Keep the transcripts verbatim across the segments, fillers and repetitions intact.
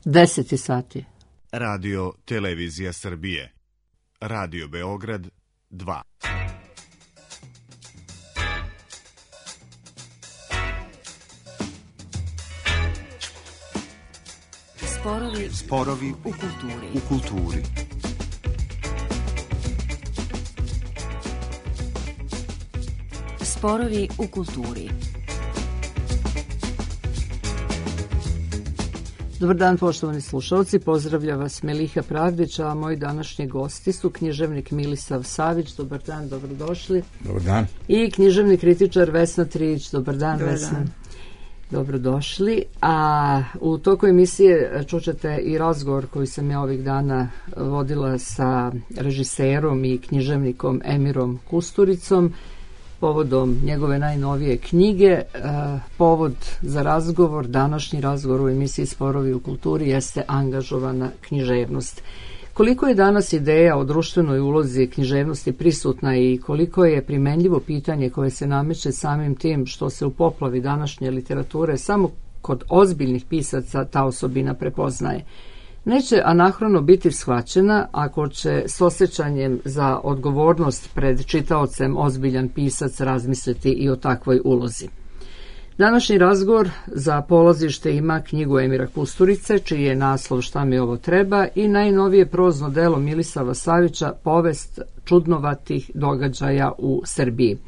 deset sati. Radio Televizija Srbije. Radio Beograd dva. Sporovi, Sporovi u kulturi. U kulturi. Sporovi u kulturi. Dobar dan, poštovani slušalci, pozdravlja vas Meliha Pravdić, a moji današnji gosti su književnik Milisav Savić. Dobar dan, dobrodošli. Dobar dan. I književni kritičar Vesna Trijić. Dobar dan, Dobar Vesna. Dan. Dobrodošli. A u toku emisije čućete i razgovor koji sam ja ovih dana vodila sa režiserom i književnikom Emirom Kusturicom povodom njegove najnovije knjige. Povod za razgovor, današnji razgovor u emisiji Sporovi u kulturi jeste angažovana književnost. Koliko je danas ideja o društvenoj ulozi književnosti prisutna i koliko je primenljivo pitanje koje se nameće samim tim što se u poplavi današnje literature samo kod ozbiljnih pisaca ta osobina prepoznaje. Neće anahrono biti shvaćena ako će s osjećanjem za odgovornost pred čitaocem ozbiljan pisac razmisliti i o takvoj ulozi. Današnji razgovor za polazište ima knjigu Emira Kusturice, čiji je naslov Šta mi ovo treba, i najnovije prozno delo Milisava Savića, Povest čudnovatih događaja u Srbiji.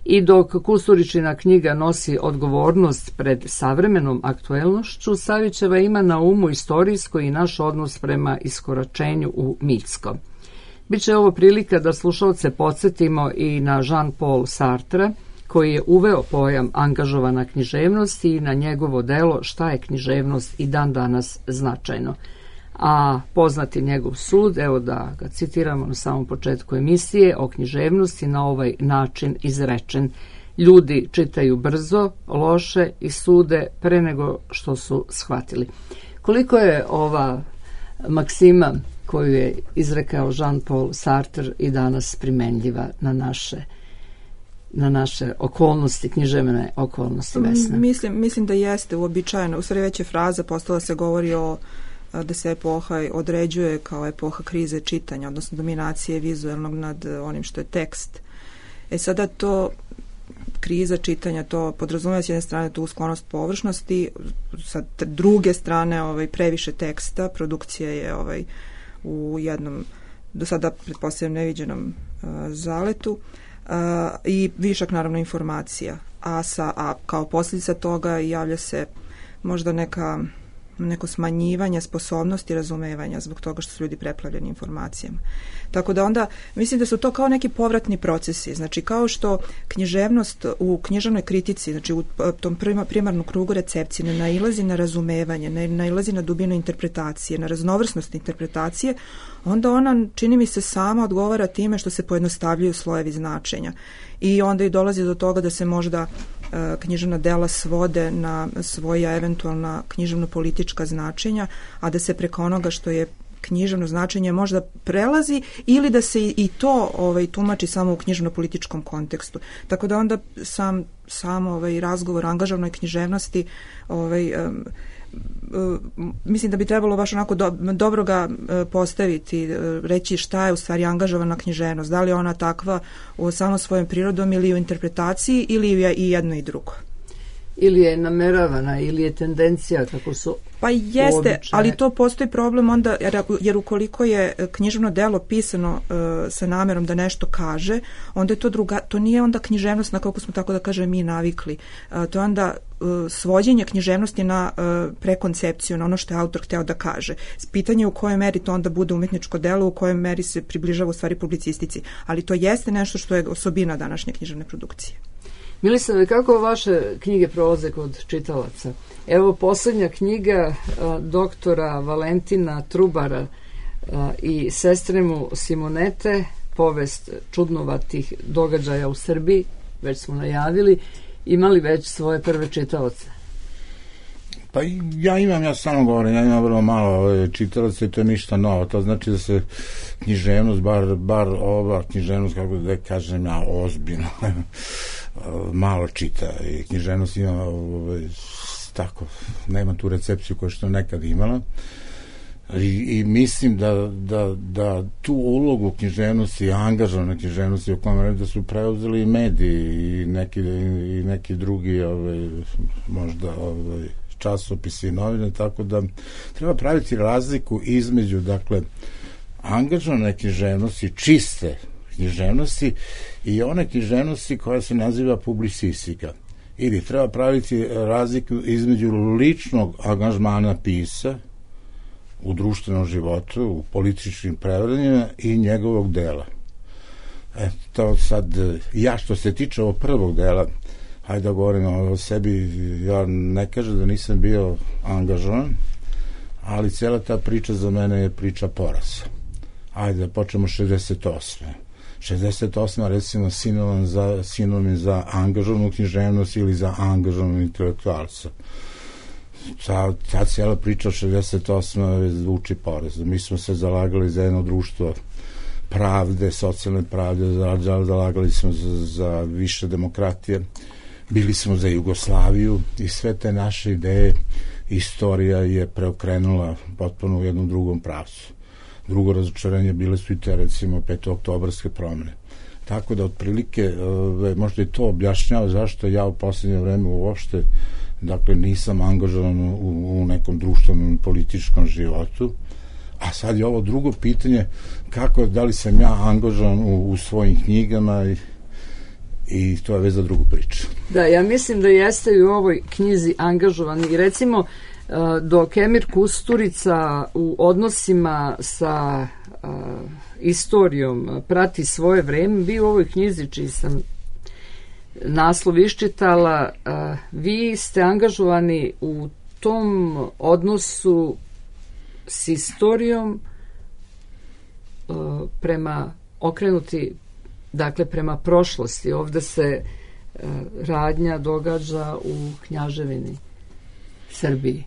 I dok Kusturičina knjiga nosi odgovornost pred savremenom aktuelnošću, Savićeva ima na umu istorijsko i naš odnos prema iskoračenju u mitsko. Biće ovo prilika da slušalce podsjetimo i na Jean-Paul Sartre, koji je uveo pojam angažovana književnost i na njegovo delo Šta je književnost i dan danas značajno. A poznati njegov sud, evo da ga citiramo na samom početku emisije, o književnosti na ovaj način izrečen: ljudi čitaju brzo, loše i sude pre nego što su shvatili. Koliko je ova maksima koju je izrekao Jean-Paul Sartre i danas primenljiva na naše na naše okolnosti, književne okolnosti, Vesna? Mislim, mislim da jeste uobičajeno. U stvari već je fraza postala, se govori o da se epoha određuje kao epoha krize čitanja, odnosno dominacije vizualnog nad onim što je tekst. E sada to kriza čitanja, to podrazumeva s jedne strane tu sklonost površnosti, sa druge strane ovaj previše teksta, produkcija je ovaj u jednom do sada pretpostavljam neviđenom uh, zaletu. Uh, i višak naravno informacija, a, sa, a kao posljedica toga javlja se možda neka, neko smanjivanje sposobnosti razumevanja zbog toga što su ljudi preplavljeni informacijama. Tako da onda mislim da su to kao neki povratni procesi, znači kao što književnost u književnoj kritici, znači u tom primarnom krugu recepcije ne nailazi na razumevanje, ne nailazi na dubinu interpretacije, na raznovrsnost interpretacije, onda ona, čini mi se, sama odgovara time što se pojednostavljuju slojevi značenja. I onda i dolazi do toga da se možda e, književna dela svode na svoja eventualna književno-politička značenja, a da se preko onoga što je književno značenje možda prelazi ili da se i to ovaj, tumači samo u književno-političkom kontekstu. Tako da onda sam, sam ovaj, razgovor o angažovanoj književnosti ovaj, um, mislim da bi trebalo baš onako do, dobro ga postaviti, reći šta je u stvari angažovana književnost, da li je ona takva u samo svojom prirodom ili u interpretaciji ili je i jedno i drugo. Ili je nameravana, ili je tendencija, kako su Pa jeste, običaje. Ali to postoji problem onda, jer, jer ukoliko je književno delo pisano uh, sa namerom da nešto kaže, onda je to druga, to nije onda književnost na kako smo, tako da kažem, mi navikli. Uh, to je onda uh, svođenje književnosti na uh, prekoncepciju, na ono što je autor hteo da kaže. Pitanje u kojoj meri to onda bude umetničko delo, u kojoj meri se približava u stvari publicistici. Ali to jeste nešto što je osobina današnje književne produkcije. Milisave, kako vaše knjige prolaze kod čitalaca? Evo, posljednja knjiga a, doktora Valentina Trubara a, i sestre mu Simonete, Povest čudnovatih događaja u Srbiji, već smo najavili, imali već svoje prve čitaoce? Pa ja imam, ja samo govorim, ja imam vrlo malo čitalaca i to je ništa novo. To znači da se književnost, bar, bar ova književnost, kako da kažem ja, ozbiljno, malo čita. I književnost ima tako, nema tu recepciju koju što nekad imala. I, i mislim da, da, da tu ulogu književnosti, angažovane književnosti o kome da su preuzeli i mediji i neki, i neki drugi ovaj, možda ovaj, časopisi i novine, tako da treba praviti razliku između, dakle, angažovane književnosti, čiste književnosti i one književnosti koja se naziva publicistika. Ili treba praviti razliku između ličnog angažmana pisa u društvenom životu, u političkim prevranjima i njegovog dela. E, to sad, ja što se tiče ovog prvog dela, hajde da govorim o sebi, ja ne kažem da nisam bio angažovan, ali cijela ta priča za mene je priča poraza. Hajde da počnemo šezdeset osme šezdeset osma recimo sinonim za, sinonim za angažovanu književnost ili za angažovanu intelektualca. Ta, ta cijela priča od šezdeset osme zvuči porazno. Mi smo se zalagali za jedno društvo pravde, socijalne pravde, zalagali smo za, za više demokratije, bili smo za Jugoslaviju i sve te naše ideje istorija je preokrenula potpuno u jednom drugom pravcu. Drugo razočarenje bile su i te, recimo, petooktobarske promene. Tako da, otprilike, možda i to objašnjava zašto ja u posljednje vreme uopšte, dakle, nisam angažovan u, u nekom društvenom političkom životu. A sad je ovo drugo pitanje, kako, da li sam ja angažovan u, u svojim knjigama i, i to je već za drugu priču. Da, ja mislim da jeste i u ovoj knjizi angažovan i recimo dok Emir Kusturica u odnosima sa uh, istorijom prati svoje vreme, vi u ovoj knjizi čiji sam naslov iščitala, uh, vi ste angažovani u tom odnosu s istorijom uh, prema okrenuti, dakle prema prošlosti. Ovde se uh, radnja događa u Knjaževini, Srbiji.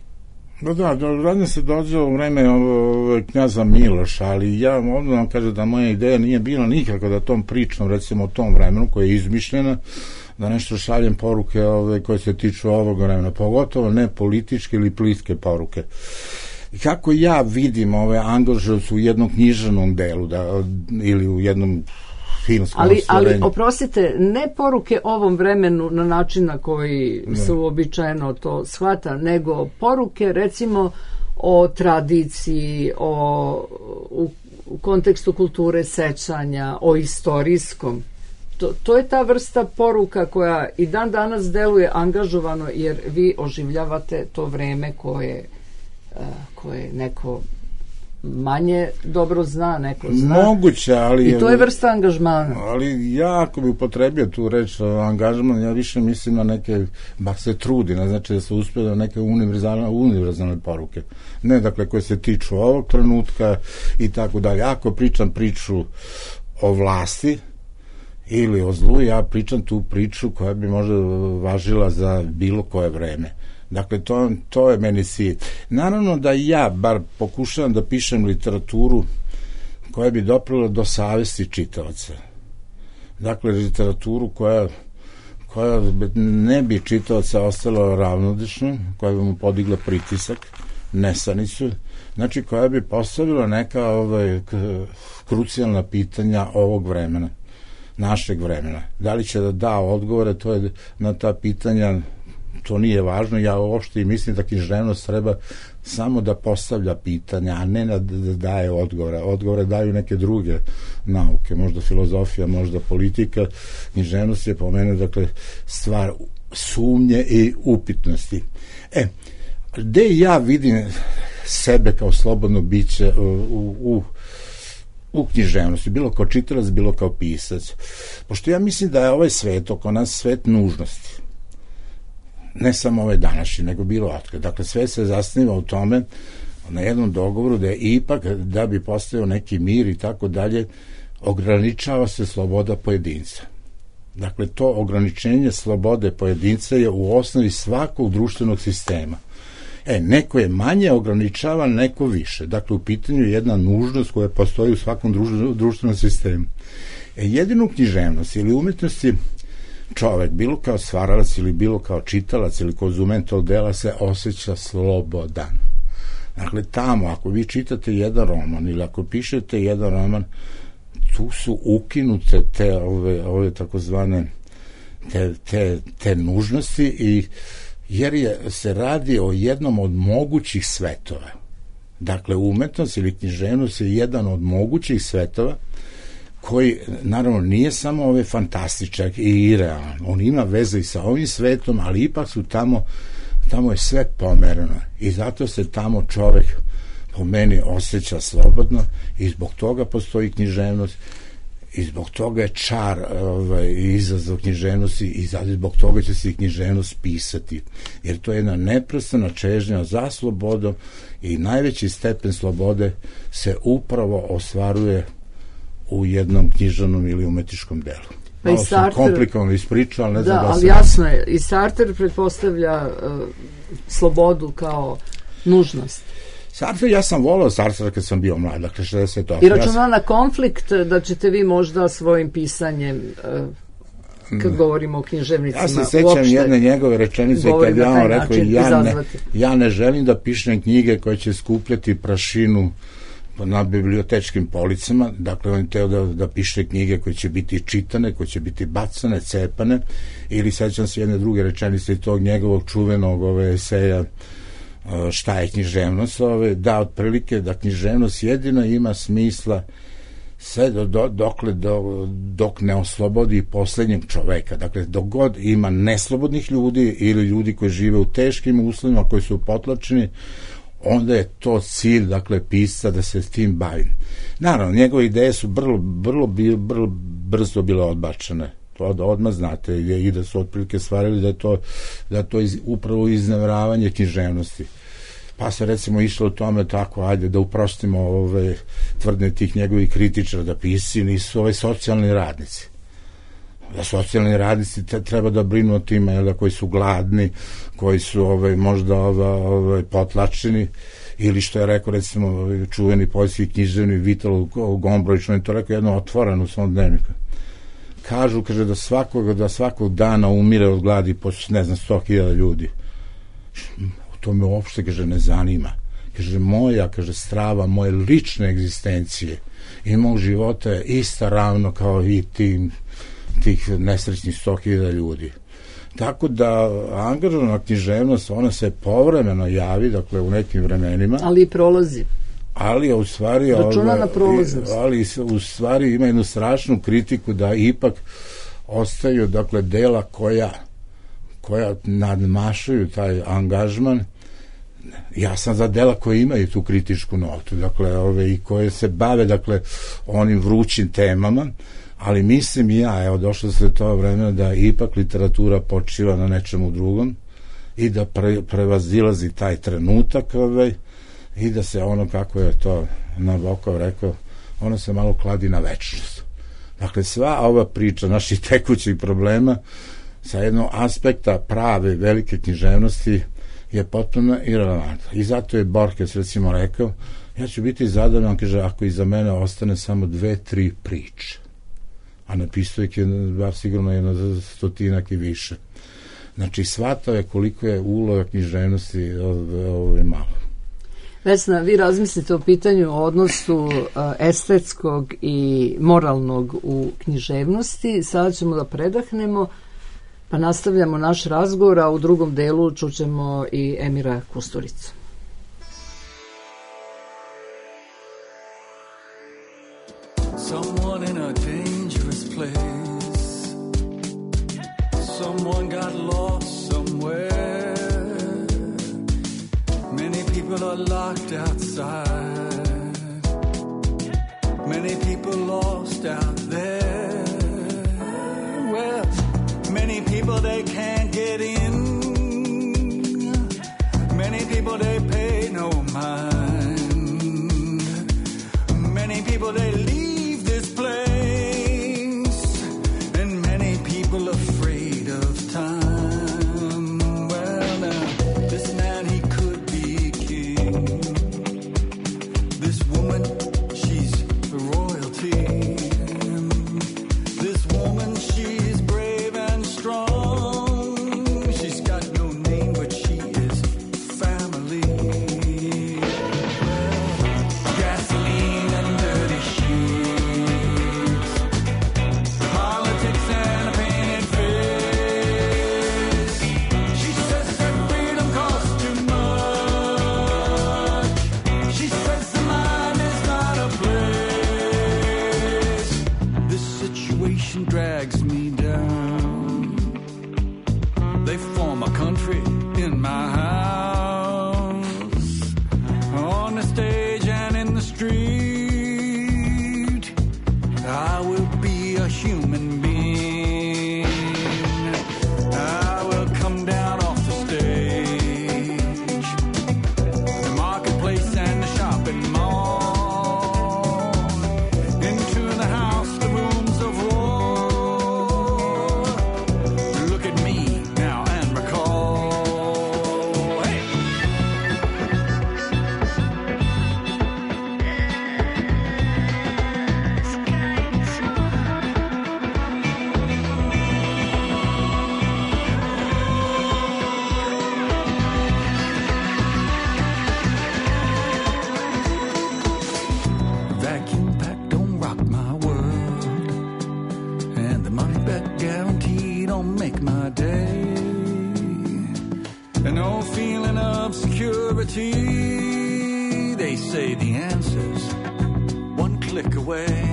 No da, radnja se dođe u vreme ovo, knjaza Miloša, ali ja ovdje vam kažem da moja ideja nije bila nikako da tom pričam, recimo o tom vremenu koje je izmišljena, da nešto šaljem poruke ove, koje se tiču ovog vremena, pogotovo ne političke ili plitke poruke. I kako ja vidim ove angažovce u jednom književnom delu da, ili u jednom Ali, ali, oprostite, ne poruke ovom vremenu na način na koji ne. se uobičajeno to shvata, nego poruke, recimo, o tradiciji, o, u, u kontekstu kulture sećanja, o istorijskom. To, to je ta vrsta poruka koja i dan danas deluje angažovano, jer vi oživljavate to vreme koje, koje neko manje dobro zna, neko zna. Moguće, ali... I to je vrsta angažmana. Ali ja, ako bi upotrebio tu reč angažman, ja više mislim na neke, bar se trudi, ne znači da se uspije na neke univerzalne, univerzalne poruke. Ne, dakle, koje se tiču ovog trenutka i tako dalje. Ako pričam priču o vlasti ili o zlu, ja pričam tu priču koja bi možda važila za bilo koje vreme. Dakle, to, to je meni cilj. Naravno da ja bar pokušavam da pišem literaturu koja bi doprila do savesti čitavaca. Dakle, literaturu koja, koja ne bi čitavaca ostala ravnodušno, koja bi mu podigla pritisak, nesanicu, znači koja bi postavila neka ovaj, krucijalna pitanja ovog vremena, našeg vremena. Da li će da da odgovore, to je na ta pitanja. To nije važno, ja uopšte i mislim da književnost treba samo da postavlja pitanja, a ne da daje odgovore. Odgovore daju neke druge nauke, možda filozofija, možda politika. Književnost je po mene, dakle, stvar sumnje i upitnosti. E, gde ja vidim sebe kao slobodno biće u, u, u književnosti, bilo kao čitalac, bilo kao pisac? Pošto ja mislim da je ovaj svet, oko nas svet nužnosti. Ne samo ovaj današnji, nego bilo otkad. Dakle, sve se zasniva u tome, na jednom dogovoru, da je ipak, da bi postao neki mir i tako dalje, ograničava se sloboda pojedinca. Dakle, to ograničenje slobode pojedinca je u osnovi svakog društvenog sistema. E, neko je manje ograničavan, neko više. Dakle, u pitanju je jedna nužnost koja postoji u svakom društvenom sistemu. E, jedinu književnost ili umetnosti čovek, bilo kao stvaralac ili bilo kao čitalac ili konzument tog dela, se osjeća slobodan. Dakle, tamo, ako vi čitate jedan roman ili ako pišete jedan roman, tu su ukinute te ove, ove takozvane te, te, te nužnosti, i jer je, se radi o jednom od mogućih svetova. Dakle, umetnost ili književnost je jedan od mogućih svetova koji, naravno, nije samo ove fantastičak i irealan. On ima veze i sa ovim svetom, ali ipak su tamo, tamo je sve pomereno. I zato se tamo čovek, po meni, osjeća slobodno, i zbog toga postoji književnost, i zbog toga je čar ovaj, izazov književnosti, i zbog toga će se i književnost pisati. Jer to je jedna neprestana čežnja za slobodom, i najveći stepen slobode se upravo ostvaruje u jednom književnom ili umetničkom delu. Pa Malo sam komplikovano ispričao, ali ne znam da, da ali sam... jasno je, i Sartre pretpostavlja uh, slobodu kao nužnost. Sartre, ja sam volao Sartre kad sam bio mlad, dakle šezdeset osam. I računa ja na konflikt da ćete vi možda svojim pisanjem, uh, kad govorimo o književnicima, ja se sećam jedne njegove rečenice kad ja on rekao, ja ne, ja ne želim da pišem knjige koje će skupljati prašinu na bibliotečkim policama. Dakle, on je teo da, da piše knjige koje će biti čitane, koje će biti bacane, cepane. Ili sećam se jedne druge rečenice i tog njegovog čuvenog ove eseja Šta je književnost, ove, da otprilike da književnost jedina ima smisla sve do, do, dokle, do, dok ne oslobodi poslednjeg čoveka. Dakle, dok god ima neslobodnih ljudi ili ljudi koji žive u teškim uslovima, koji su potlačeni, onda je to cilj, dakle, pisca da se s tim bavi. Naravno, njegove ideje su vrlo, vrlo, vrlo brzo bile odbačene. To odmah znate, i da su otprilike stvarili da je to, da je to iz, upravo iznevravanje književnosti. Pa se recimo išlo u tome tako, ajde da uprostimo ove tvrdnje tih njegovih kritičara, da pisci nisu ove socijalni radnici. Da socijalni radnici treba da brinu o tima, jel da, koji su gladni, koji su ove, možda ove, ove, potlačeni, ili što je rekao recimo čuveni poljski književni Vital Gombrowicz, on je to rekao jedno otvoreno u svom dnevniku. Kažu, kaže, da svakog, da svakog dana umire od gladi po, ne znam, sto hiljada ljudi. To me uopšte, kaže, ne zanima. Kaže, moja, kaže, strava, moje lične egzistencije i mog života je ista ravno kao i tim, tih nesrećnih sto hiljada ljudi. Tako da angažovana književnost, ona se povremeno javi, dakle, u nekim vremenima. Ali i prolazi. Ali u stvari računa na prolaznost. Ali u stvari ima jednu strašnu kritiku da ipak ostaju, dakle, dela koja koja nadmašuju taj angažman. Ja sam za dela koje imaju tu kritičku notu, dakle, ove, i koje se bave, dakle, onim vrućim temama, ali mislim ja, evo, došlo se to vremena da ipak literatura počiva na nečemu drugom i da pre, prevazilazi taj trenutak, ove, i da se ono, kako je to Nabokov rekao, ono se malo kladi na večnost. Dakle, sva ova priča naših tekućih problema sa jednog aspekta prave velike književnosti je potpuno irelevantna. I zato je Borges recimo rekao, ja ću biti zadovoljan, kaže, ako iza mene ostane samo dve, tri priče. A napisao ih je bar sigurno jedno stotinak i više. Znači, shvatao je koliko je uloga književnosti ovo je malo. Vesna, vi razmislite o pitanju o odnosu estetskog i moralnog u književnosti. Sada ćemo da predahnemo, pa nastavljamo naš razgovor, a u drugom delu čućemo i Emira Kusturicu. Someone in a dangerous place. Someone got lost somewhere. Many people are locked outside. Many people lost out there. Well, many people they can't get in. Many people they pay no mind. Many people they leave this place. And many people afraid of time. Well, now, this man, he could be king. This woman, she's royalty. This woman, she's brave and strong. the stage and in the street, I will be a human being. I will come down off the stage, the marketplace and the shopping mall, into the house, the rooms of war. Look at me now and recall. Hey! Vacuum pack don't rock my world, and the money back guarantee don't make my day. And no feeling of security. They say the answer's one click away.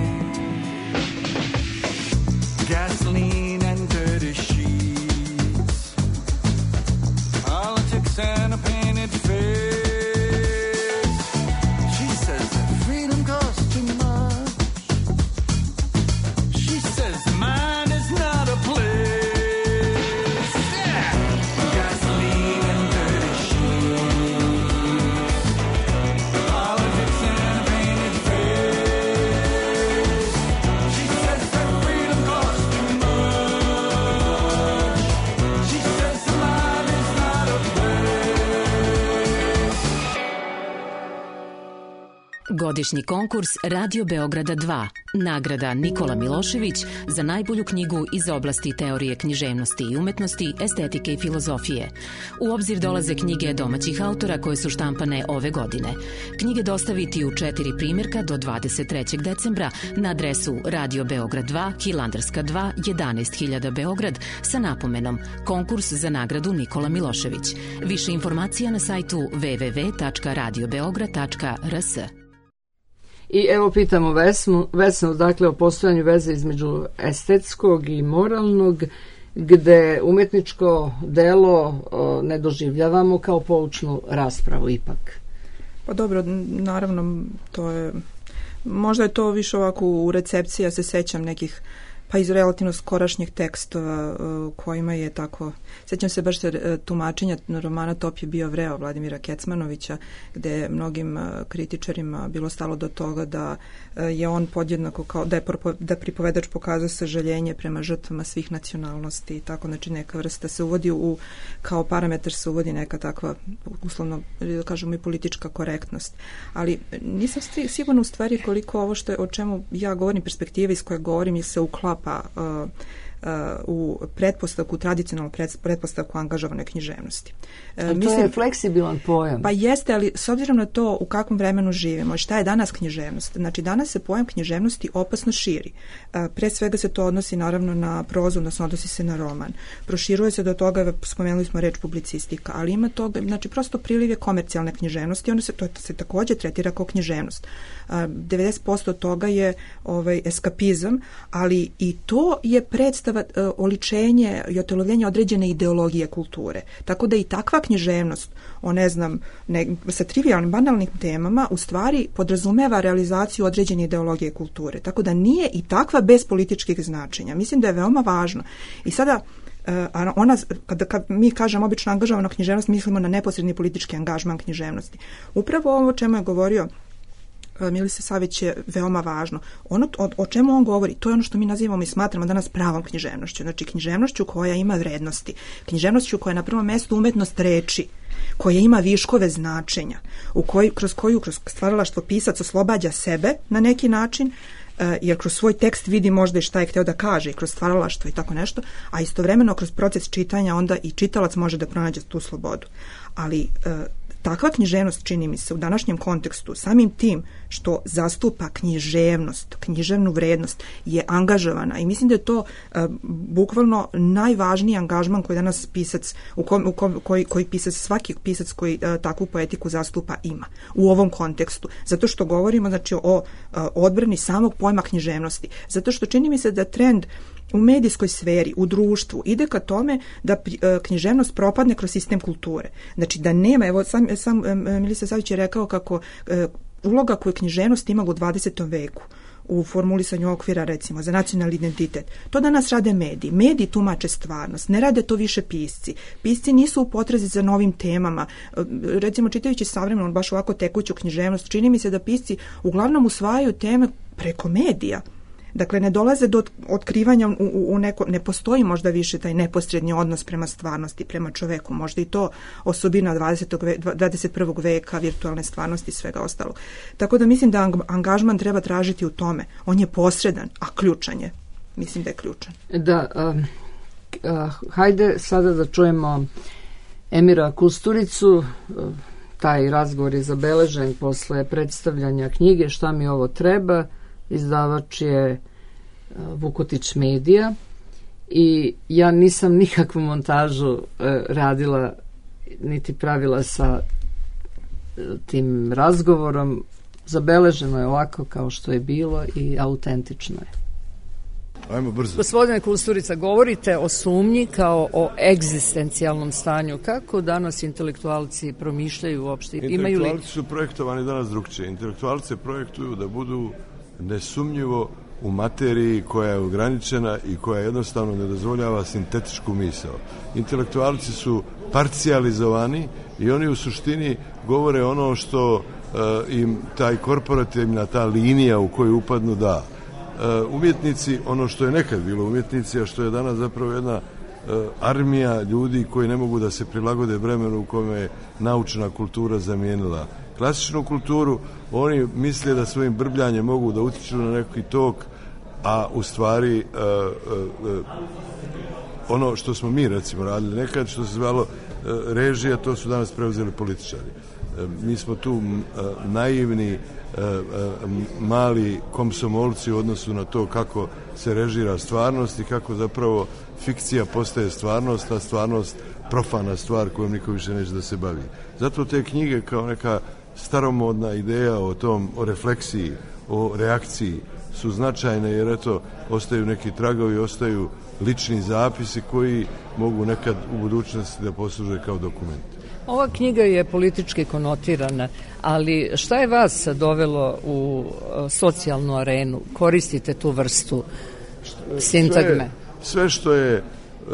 Gasoline and dirty sheets, politics and a painted face. She says that freedom costs too much. She says the mind is not a place. Yeah. Gasoline and dirty sheets, politics and a painted face. She says that freedom costs too much. She says the mind is not a place. Godišnji konkurs Radio Beograda dva. Nagrada Nikola Milošević za najbolju knjigu iz oblasti teorije književnosti i umetnosti, estetike i filozofije. U obzir dolaze knjige domaćih autora koje su štampane ove godine. Knjige dostaviti u četiri primjerka do dvadeset trećeg decembra na adresu Radio Beograd dva, Hilandarska dva, jedanaest hiljada Beograd sa napomenom Konkurs za nagradu Nikola Milošević. Više informacija na sajtu w w w tačka radio beograd tačka r s. I evo pitamo Vesnu, Vesnu dakle o postojanju veze između estetskog i moralnog, gde umjetničko delo o, ne doživljavamo kao poučnu raspravu ipak. Pa dobro, naravno, to je, možda je to više ovako u recepciji, ja se sećam nekih, pa iz relativno skorašnjih tekstova kojima je tako, sećam se baš se tumačenja romana Top je bio vreo Vladimira Kecmanovića, gde je mnogim kritičarima bilo stalo do toga da je on podjednako kao, da je da pripovedač pokazao sažaljenje prema žrtvama svih nacionalnosti i tako, znači neka vrsta se uvodi u, kao parametar se uvodi neka takva, uslovno da kažemo i politička korektnost. Ali nisam sigurna u stvari koliko ovo što je, o čemu ja govorim, perspektive iz koje govorim, je se uklapa Uh, uh, u pretpostavku, tradicionalnu pretpostavku angažovane književnosti. Uh, to mislim, je fleksibilan pojam. Pa jeste, ali s obzirom na to u kakvom vremenu živimo, šta je danas književnost? Znači, danas se pojam književnosti opasno širi. Uh, pre svega se to odnosi naravno na prozu, odnosno odnosi se na roman. Proširuje se do toga, spomenuli smo reč publicistika, ali ima toga, znači prosto priliv je komercijalne književnosti, ono se, to se takođe tretira kao književnost. Uh, devedeset posto toga je ovaj, eskapizam, ali i to je predstava, uh, oličenje i otelovljenje određene ideologije kulture. Tako da i takva književnost o, ne znam, ne, sa trivijalnim, banalnim temama u stvari podrazumeva realizaciju određene ideologije kulture. Tako da nije i takva bez političkih značenja. Mislim da je veoma važno. I sada a ona, kada, kada mi kažemo obično angažovana književnost, mislimo na neposredni politički angažman književnosti. Upravo ovo o čemu je govorio Milica Savić je veoma važno. Ono o, o čemu on govori, to je ono što mi nazivamo i smatramo danas pravom književnošću. Znači književnošću koja ima vrednosti, književnošću koja je na prvom mestu umetnost reči, koja ima viškove značenja, u koj, kroz koju kroz stvaralaštvo pisac oslobađa sebe na neki način, jer kroz svoj tekst vidi možda i šta je hteo da kaže i kroz stvaralaštvo i tako nešto, a istovremeno kroz proces čitanja onda i čitalac može da pronađe tu slobodu. Ali takva književnost, čini mi se, u današnjem kontekstu, samim tim što zastupa književnost, književnu vrednost, je angažovana i mislim da je to uh, bukvalno najvažniji angažman koji danas pisac, u kom, u kom, koji, koji pisac, svaki pisac koji uh, takvu poetiku zastupa ima u ovom kontekstu. Zato što govorimo, znači, o uh, odbrani samog pojma književnosti. Zato što čini mi se da trend u medijskoj sferi, u društvu, ide ka tome da književnost propadne kroz sistem kulture. Znači da nema, evo sam, sam Milica Savić je rekao kako uloga koju književnost imala u dvadesetom veku u formulisanju okvira, recimo, za nacionalni identitet. To danas rade mediji. Mediji tumače stvarnost. Ne rade to više pisci. Pisci nisu u potrazi za novim temama. Recimo, čitajući savremeno, baš ovako tekuću književnost, čini mi se da pisci uglavnom usvajaju teme preko medija. Dakle, ne dolaze do otkrivanja u, u neko, ne postoji možda više taj neposredni odnos prema stvarnosti, prema čoveku, možda i to osobina dvadeset prvog veka, virtualne stvarnosti i svega ostalog. Tako da mislim da angažman treba tražiti u tome. On je posredan, a ključan je. Mislim da je ključan. Da, uh, uh, hajde sada da čujemo Emira Kusturicu. Uh, taj razgovor je zabeležen posle predstavljanja knjige Šta mi ovo treba. Izdavač je Vukotić Medija i ja nisam nikakvu montažu radila niti pravila sa tim razgovorom. Zabeleženo je ovako kao što je bilo i autentično je. Ajmo brzo. Gospodine Kusturica, govorite o sumnji kao o egzistencijalnom stanju. Kako danas intelektualci promišljaju uopšte? Intelektualci li... su projektovani danas drugčije. Intelektualci projektuju da budu nesumnjivo u materiji koja je ograničena i koja jednostavno ne dozvoljava sintetičku misao. Intelektualci su parcijalizovani i oni u suštini govore ono što uh, im taj korporativna, ta linija u koju upadnu da. Uh, umjetnici, ono što je nekad bilo umjetnici, a što je danas zapravo jedna uh, armija ljudi koji ne mogu da se prilagode vremenu u kome je naučna kultura zamijenila klasičnu kulturu, oni misle da svojim brbljanjem mogu da utiču na neki tok, a u stvari uh, uh, uh, ono što smo mi recimo radili nekad, što se zvalo uh, režija, to su danas preuzeli političari. Uh, mi smo tu uh, naivni uh, uh, mali komsomolci u odnosu na to kako se režira stvarnost i kako zapravo fikcija postaje stvarnost, a stvarnost profana stvar kojom niko više neće da se bavi. Zato te knjige kao neka staromodna ideja o tom, o refleksiji, o reakciji su značajne jer eto, ostaju neki tragovi, ostaju lični zapisi koji mogu nekad u budućnosti da posluže kao dokument. Ova knjiga je politički konotirana, ali šta je vas dovelo u socijalnu arenu? Koristite tu vrstu sintagme? Sve, sve što je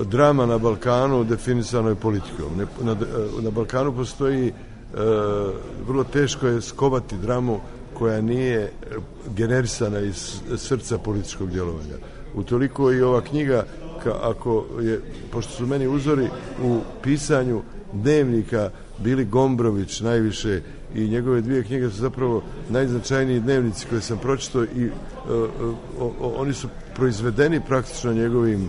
drama na Balkanu definisano je politikom. Na, na Balkanu postoji E, vrlo teško je skovati dramu koja nije generisana iz srca političkog djelovanja. Utoliko i ova knjiga, ka, ako je, pošto su meni uzori u pisanju dnevnika bili Gombrović najviše i njegove dvije knjige su zapravo najznačajniji dnevnici koje sam pročitao i e, o, o, oni su proizvedeni praktično njegovim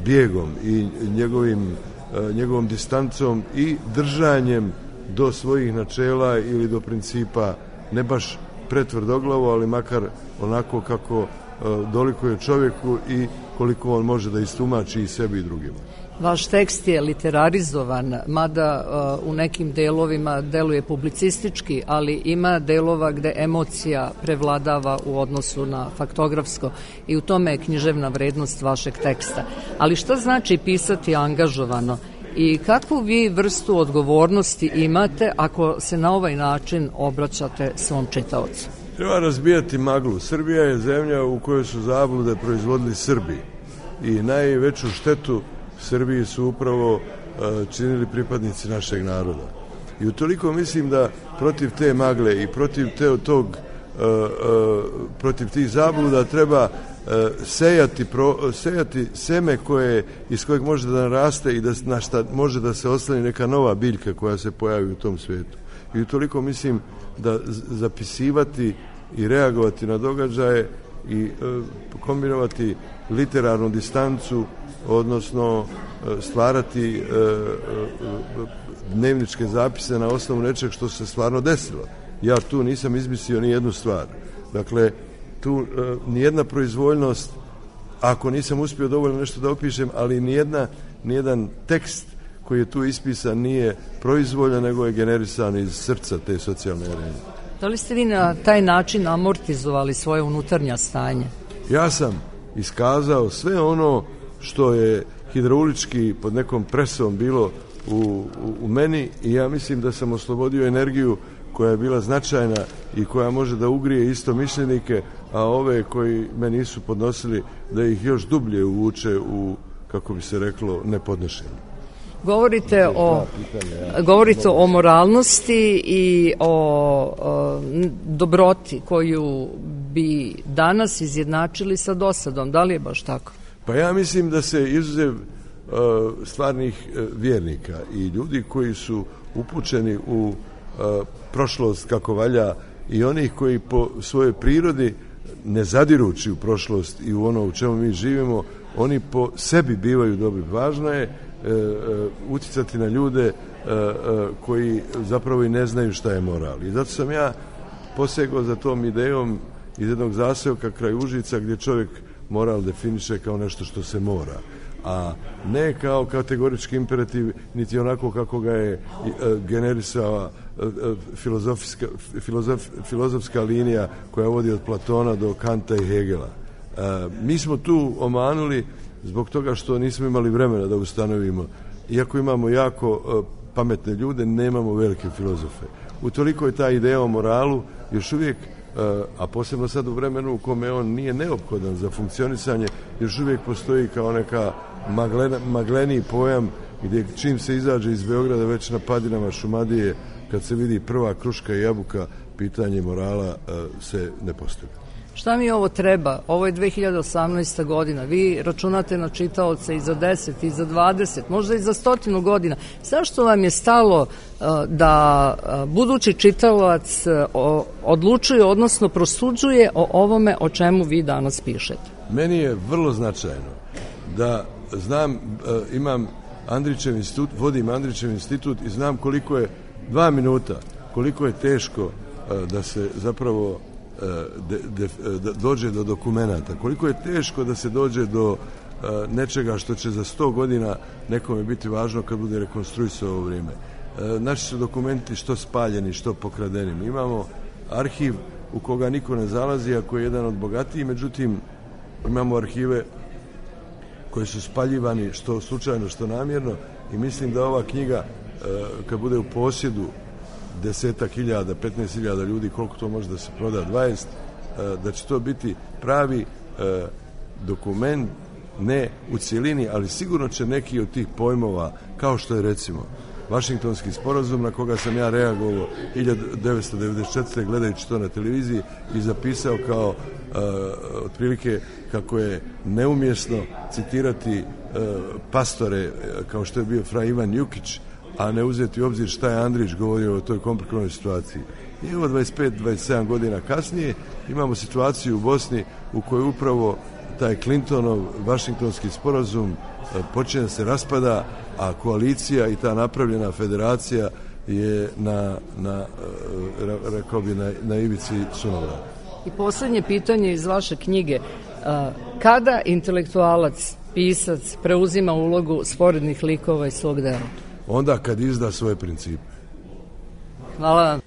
bijegom i njegovim, e, njegovom distancom i držanjem do svojih načela ili do principa, ne baš pretvrdoglavo, ali makar onako kako uh, dolikuje čovjeku i koliko on može da istumači i sebi i drugima. Vaš tekst je literarizovan, mada uh, u nekim delovima deluje publicistički, ali ima delova gde emocija prevladava u odnosu na faktografsko i u tome je književna vrednost vašeg teksta. Ali šta znači pisati angažovano? I kakvu vi vrstu odgovornosti imate ako se na ovaj način obraćate svom čitaocu? Treba razbijati maglu. Srbija je zemlja u kojoj su zablude proizvodili Srbi i najveću štetu Srbiji su upravo uh, činili pripadnici našeg naroda. I utoliko mislim da protiv te magle i protiv te, tog uh, uh, protiv tih zabluda treba Sejati, pro, sejati seme koje, iz kojeg može da naraste i da, na šta može da se osloni neka nova biljka koja se pojavi u tom svijetu. I utoliko mislim da zapisivati i reagovati na događaje i e, kombinovati literarnu distancu, odnosno e, stvarati e, e, dnevničke zapise na osnovu nečeg što se stvarno desilo. Ja tu nisam izmislio ni jednu stvar. Dakle, tu e, nijedna proizvoljnost, ako nisam uspio dovoljno nešto da opišem, ali nijedna, nijedan tekst koji je tu ispisan nije proizvoljan, nego je generisan iz srca te socijalne arene. Da li ste vi na taj način amortizovali svoje unutarnja stanje? Ja sam, iskazao sve ono što je hidraulički pod nekom presom bilo u, u, u meni i ja mislim da sam oslobodio energiju koja je bila značajna i koja može da ugrije isto mišljenike, a ove koji me nisu podnosili da ih još dublje uvuče u, kako bi se reklo, nepodnošenje. Govorite o, govorite o moralnosti i o, o dobroti koju bi danas izjednačili sa dosadom. Da li je baš tako? Pa ja mislim da se izuzev uh, stvarnih uh, vjernika i ljudi koji su upućeni u uh, prošlost kako valja i onih koji po svojoj prirodi ne zadirući u prošlost i u ono u čemu mi živimo, oni po sebi bivaju dobri. Važno je uh, uh, uticati na ljude uh, uh, koji zapravo i ne znaju šta je moral. I zato sam ja posegao za tom idejom iz jednog zaseoka kraj Užica gdje čovjek moral definiše kao nešto što se mora, a ne kao kategorički imperativ, niti onako kako ga je generisala filozofska, filozof, filozofska linija koja vodi od Platona do Kanta i Hegela. Mi smo tu omanuli zbog toga što nismo imali vremena da ustanovimo. Iako imamo jako pametne ljude, nemamo velike filozofe. Utoliko je ta ideja o moralu još uvijek, a posebno sad u vremenu u kome on nije neophodan za funkcionisanje, još uvijek postoji kao neka maglena, magleniji pojam gdje čim se izađe iz Beograda već na padinama Šumadije, kad se vidi prva kruška i jabuka, pitanje morala se ne postavlja. Šta mi ovo treba? Ovo je dve hiljade osamnaesta godina. Vi računate na čitaoce i za deset, i za dvadeset, možda i za stotinu godina. Zašto vam je stalo da budući čitalac odlučuje, odnosno prosuđuje o ovome o čemu vi danas pišete? Meni je vrlo značajno da znam, imam Andrićev institut, vodim Andrićev institut i znam koliko je dva minuta, koliko je teško da se zapravo De, de, de, dođe do dokumenata, koliko je teško da se dođe do uh, nečega što će za sto godina nekome biti važno kad bude rekonstruisao ovo vrijeme. Uh, naši su dokumenti što spaljeni, što pokradeni. Mi imamo arhiv u koga niko ne zalazi, a koji je jedan od bogatijih, međutim imamo arhive koji su spaljivani što slučajno, što namjerno i mislim da ova knjiga uh, kad bude u posjedu desetak hiljada, petnaest hiljada ljudi, koliko to može da se proda, dvadeset, da će to biti pravi dokument, ne u cijelini, ali sigurno će neki od tih pojmova, kao što je recimo Vašingtonski sporazum, na koga sam ja reagovao hiljadu devetsto devedeset četvrte gledajući to na televiziji i zapisao kao uh, otprilike kako je neumjesno citirati uh, pastore kao što je bio fra Ivan Jukić, a ne uzeti u obzir šta je Andrić govorio o toj komplikovanoj situaciji. I evo dvadeset pet do dvadeset sedam godina kasnije imamo situaciju u Bosni u kojoj upravo taj Clintonov Vašingtonski sporazum počinje da se raspada, a koalicija i ta napravljena federacija je na, na rekao bi, na, na ivici sunovrata. I poslednje pitanje iz vaše knjige. Kada intelektualac, pisac, preuzima ulogu sporednih likova iz svog dela? Onda kad izda svoje principe. Hvala vam.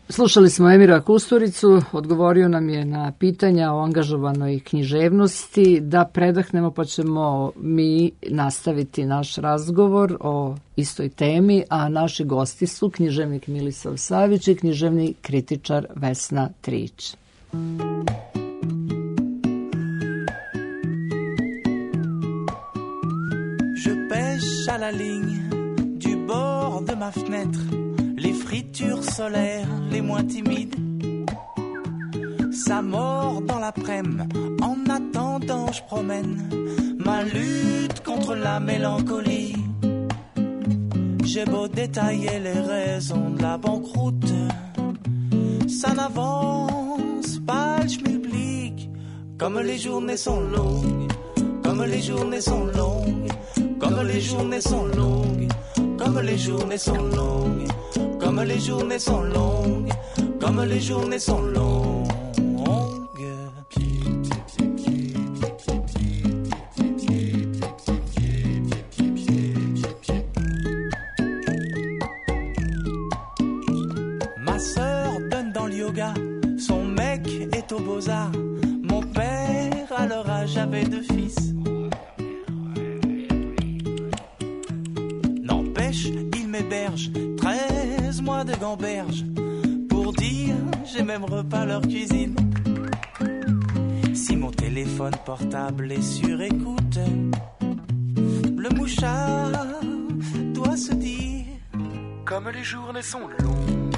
Slušali smo Emira Kusturicu, odgovorio nam je na pitanja o angažovanoj književnosti. Da predahnemo pa ćemo mi nastaviti naš razgovor o istoj temi, a naši gosti su književnik Milisav Savić i književni kritičar Vesna Trić. Je pêche à la ligne du bord de ma fenêtre, les fritures solaires les moins timides. Ça mord dans l'après-midi, en attendant je promène ma lutte contre la mélancolie. J'ai beau détailler les raisons de la banqueroute, ça n'avance pas le schmilblick. Comme les journées sont longues, comme les journées sont longues, comme les journées sont longues, comme les journées sont longues, comme les journées sont longues, comme les journées sont longues. Ma sœur donne dans le yoga, son mec est au Beaux-Arts, mon père alors leur âge avaient deux fils. N'empêche, ils m'hébergent, treize mois de gamberge, pour dire j'ai même repas leur cuisine. Si mon téléphone portable est sur écoute, le mouchard doit se dire: comme les journées sont longues,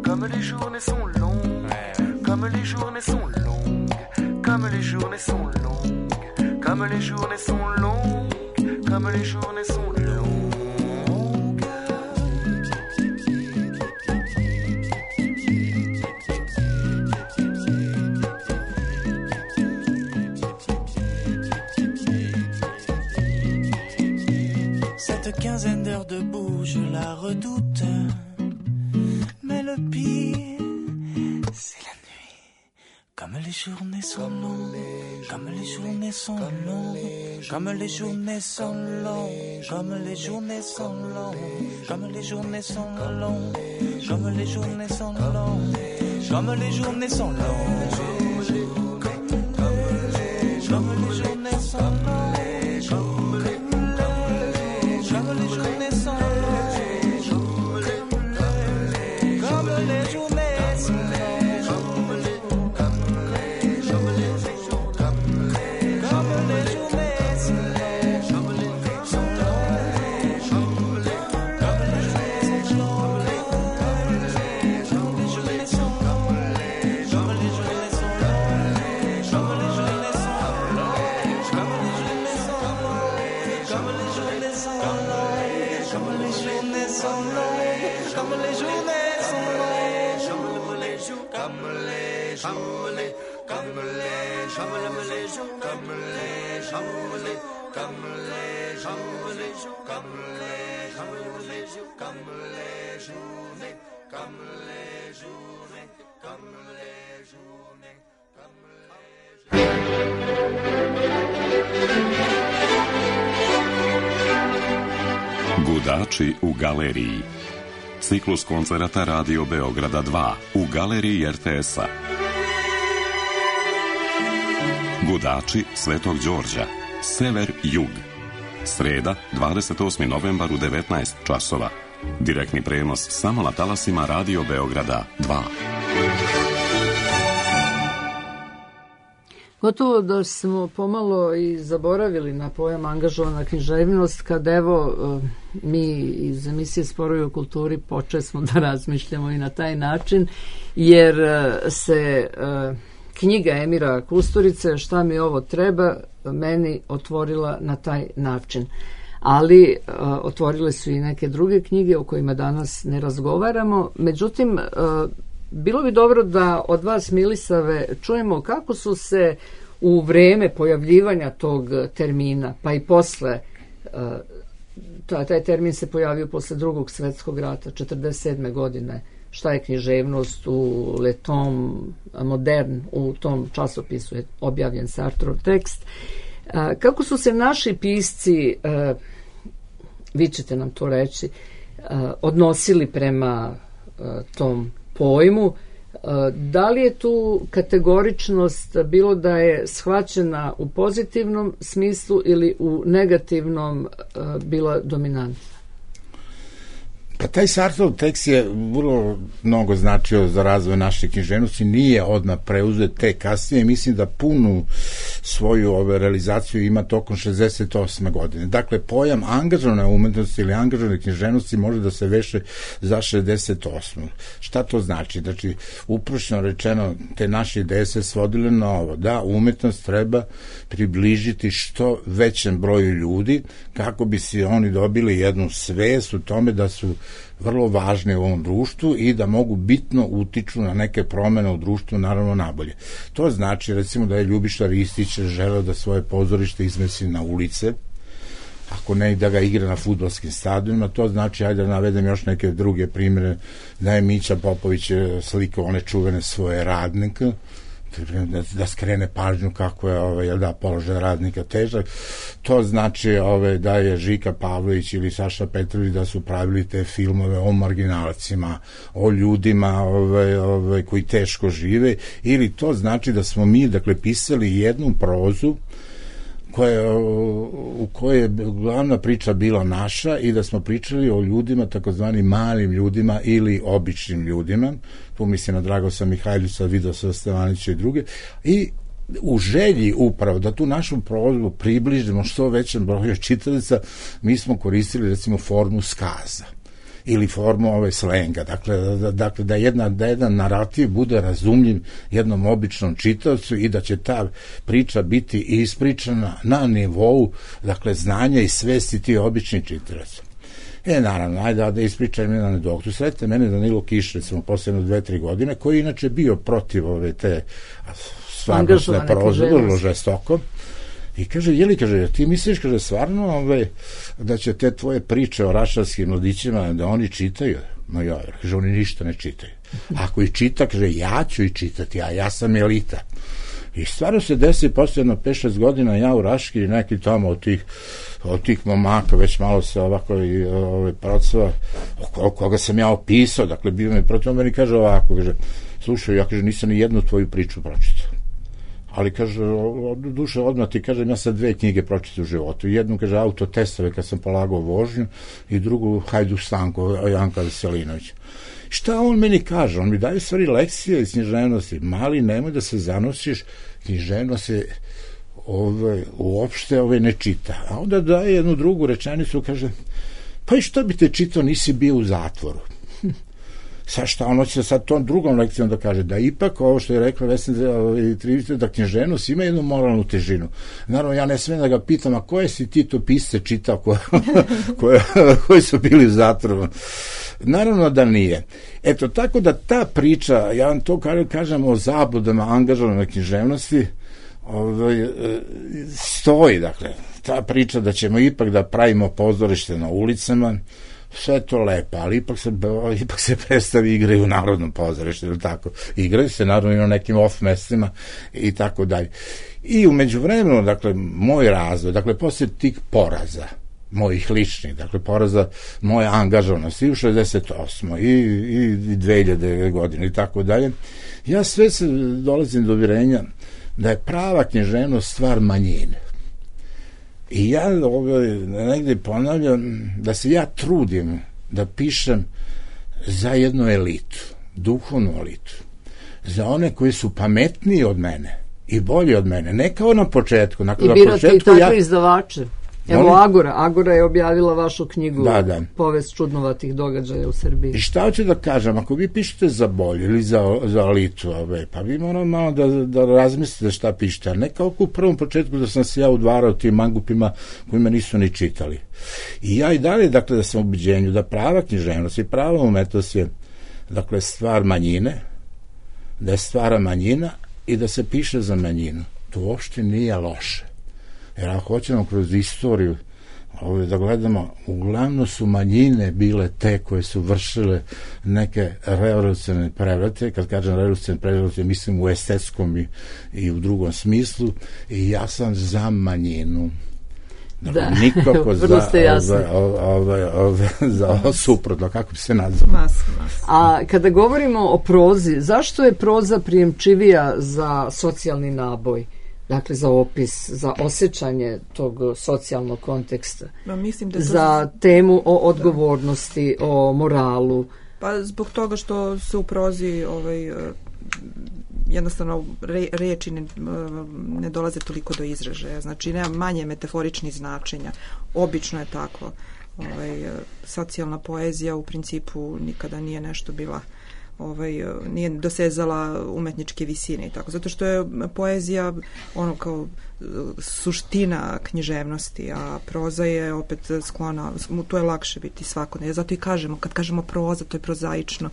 comme les journées sont longues, comme les journées sont longues, comme les journées sont longues, comme les journées sont longues, comme les journées sont longues. Cette quinzaine d'heures debout, je la redoute, mais le pire, c'est la nuit. Comme les journées sont longues, comme les journées sont longues, comme les journées sont longues, comme les journées sont longues, comme les journées sont longues, comme les journées sont longues, comme les journées sont longues, comme les journées sont longues. Gudači u galeriji. Ciklus koncerata Radio Beograda dva u galeriji er te es-a. Gudači Svetog Đorđa, sever-jug. Sreda, dvadeset osmi novembar u devetnaest časova. Direktni prenos samo na talasima Radio Beograda dva. Gotovo da smo pomalo i zaboravili na pojam angažovana književnost, kad evo mi iz emisije Sporovi o kulturi počeli smo da razmišljamo i na taj način, jer se knjiga Emira Kusturice Šta mi ovo treba meni otvorila na taj način. Ali otvorile su i neke druge knjige o kojima danas ne razgovaramo. Međutim, bilo bi dobro da od vas, Milisave, čujemo kako su se u vreme pojavljivanja tog termina, pa i posle, taj termin se pojavio posle drugog svetskog rata, četrdeset sedme godine, šta je književnost u Le Tom Modern, u tom časopisu je objavljen Sartrov tekst. Kako su se naši pisci, vi ćete nam to reći, odnosili prema tom pojmu, da li je tu kategoričnost bilo da je shvaćena u pozitivnom smislu ili u negativnom bila dominantna? Pa taj Sartrov tekst je vrlo mnogo značio za razvoj naše književnosti, nije odmah preuzet te kasnije, mislim da punu svoju ove, realizaciju ima tokom šezdeset osme godine. Dakle, pojam angažovane umetnosti ili angažovane književnosti može da se veše za šezdeset osmu. Šta to znači? Znači, uprošno rečeno, te naše ideje se svodile na ovo, da umetnost treba približiti što većem broju ljudi, kako bi si oni dobili jednu svest u tome da su vrlo važne u ovom društvu i da mogu bitno utiču na neke promene u društvu, naravno nabolje. To znači, recimo, da je Ljubiša Ristić želeo da svoje pozorište izmesti na ulice, ako ne da ga igra na fudbalskim stadionima, to znači, ajde da navedem još neke druge primjere, da je Mića Popović slikao one čuvene svoje radnike, da, da skrene pažnju kako je ovaj, da, položaj radnika težak. To znači ovaj, da je Žika Pavlović ili Saša Petrović da su pravili te filmove o marginalcima, o ljudima ovaj, ovaj, koji teško žive, ili to znači da smo mi, dakle, pisali jednu prozu koja, u kojoj je glavna priča bila naša i da smo pričali o ljudima, takozvani malim ljudima ili običnim ljudima. Tu mislim na Dragosa Mihajljusa, Vidosa Stevanića i druge. I u želji upravo da tu našu prozu približimo što većem broju čitalica, mi smo koristili recimo formu skaza ili formu ove slenga, dakle da, dakle, da, jedna, da jedan narativ bude razumljiv jednom običnom čitaocu i da će ta priča biti ispričana na nivou, dakle, znanja i svesti ti obični čitalaca. E, naravno, ajde da ispričam jedan anegdotu. Sretite mene Danilo Kiš, recimo, posledno dve, tri godine, koji je inače bio protiv ove te stvarno sve proze, vrlo žestoko. I kaže, jeli, kaže, ti misliš, kaže, stvarno ove, da će te tvoje priče o rašarskim mladićima, da oni čitaju? No ja, kaže, oni ništa ne čitaju. Ako ih čita, kaže, ja ću ih čitati, a ja sam elita. I stvarno se desi posle jedno pet šest godina, ja u Raški i neki tamo od tih, od tih momaka, već malo se ovako i ove procova, o koga sam ja opisao, dakle, bio me protiv, on meni kaže ovako, kaže, slušaj, ja, kaže, nisam ni jednu tvoju priču pročitao. Ali, kaže, duše, odmah ti kažem, ja sam dve knjige pročitao u životu. Jednu, kaže, Autotestove kad sam polagao vožnju i drugu Hajduk Stanko, Janka Veselinovića. Šta on meni kaže? On mi daje stvari lekcije iz književnosti. Mali, nemoj da se zanosiš, književnost se ove, uopšte ove ne čita. A onda daje jednu drugu rečenicu, kaže, pa i što bi te čitao, nisi bio u zatvoru. Sad šta on hoće sad tom drugom lekcijom da kaže, da ipak ovo što je rekla Vesna Trivić, da književnost ima jednu moralnu težinu. Naravno, ja ne smem da ga pitam, a koje si ti to pisce čitao koje, koje, koji su bili u zatvoru? Naravno da nije. Eto, tako da ta priča, ja vam to kažem o zabludama angažovane književnosti, ovaj, stoji, dakle, ta priča da ćemo ipak da pravimo pozorište na ulicama, sve to lepo, ali ipak se, ipak se predstavi igraju u Narodnom pozorištu, ili tako. Igraju se naravno i na nekim off mestima i tako dalje. I umeđu vremenu, dakle, moj razvoj, dakle, posle tih poraza, mojih ličnih, dakle, poraza moje angažovanosti i u šezdeset osmoj i, i dve hiljade godine i tako dalje, ja sve se dolazim do uvjerenja da je prava književnost stvar manjine. I ja ovaj, negde ponavljam da se ja trudim da pišem za jednu elitu, duhovnu elitu, za one koji su pametniji od mene i bolji od mene, ne kao na početku. Na, I birate i takve ja... izdavače. Evo Molim? Agora, Agora je objavila vašu knjigu da, da. Povest čudnovatih događaja u Srbiji. I šta hoću da kažem, ako vi pišete za bolje ili za, za elitu, ove, pa vi moramo malo da, da razmislite šta pišete, a ne kao u prvom početku da sam se ja udvarao tim mangupima koji me nisu ni čitali. I ja i dalje, dakle, da sam u ubeđenju da prava književnost i prava umetnost je, dakle, stvar manjine, da je stvara manjina i da se piše za manjinu. To uopšte nije loše. Jer ako hoćemo kroz istoriju ovdje da gledamo, uglavnom su manjine bile te koje su vršile neke revolucionarne prevrate. Kad kažem revolucionarne prevrate, mislim u estetskom i, i u drugom smislu. I ja sam za manjinu. Dakle, da, nikako za, ove, ove, ove, za suprotno, kako bi se nazvao. Mas, mas. A kada govorimo o prozi, zašto je proza prijemčivija za socijalni naboj? Dakle, za opis, za osjećanje tog socijalnog konteksta, no, mislim da to... za temu o odgovornosti, da. O moralu. Pa zbog toga što se u prozi ovaj, jednostavno re, reči ne, ne dolaze toliko do izražaja, znači nema manje metaforičnih značenja, obično je tako. Ovaj, socijalna poezija u principu nikada nije nešto bila ovaj, nije dosezala umetničke visine i tako, zato što je poezija ono kao suština književnosti, a proza je opet sklona, to je lakše biti svakodnevno. Zato i kažemo, kad kažemo proza, to je prozaično.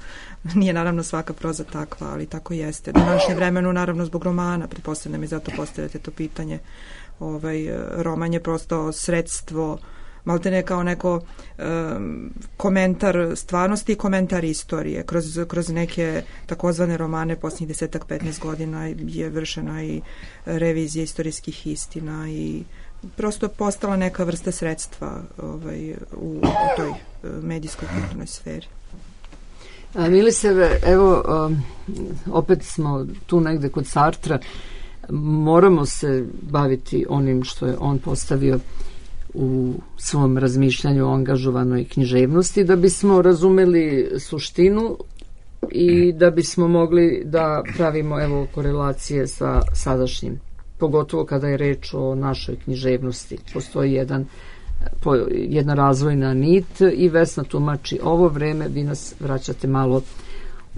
Nije naravno svaka proza takva, ali tako jeste. U današnjem vremenu, naravno, zbog romana, pretpostavljam i zato postavljate to pitanje, ovaj, roman je prosto sredstvo maltene kao neko um, komentar stvarnosti i komentar istorije. Kroz, kroz neke takozvane romane posljednjih desetak, petnaest godina je vršena i revizija istorijskih istina i prosto postala neka vrsta sredstva ovaj, u, u toj medijskoj kulturnoj sferi. Miliseve, evo, um, opet smo tu negde kod Sartra, moramo se baviti onim što je on postavio u svom razmišljanju o angažovanoj književnosti, da bismo razumeli suštinu i da bismo mogli da pravimo, evo, korelacije sa sadašnjim, pogotovo kada je reč o našoj književnosti. Postoji jedan po, jedna razvojna nit i Vesna tumači ovo vreme, vi nas vraćate malo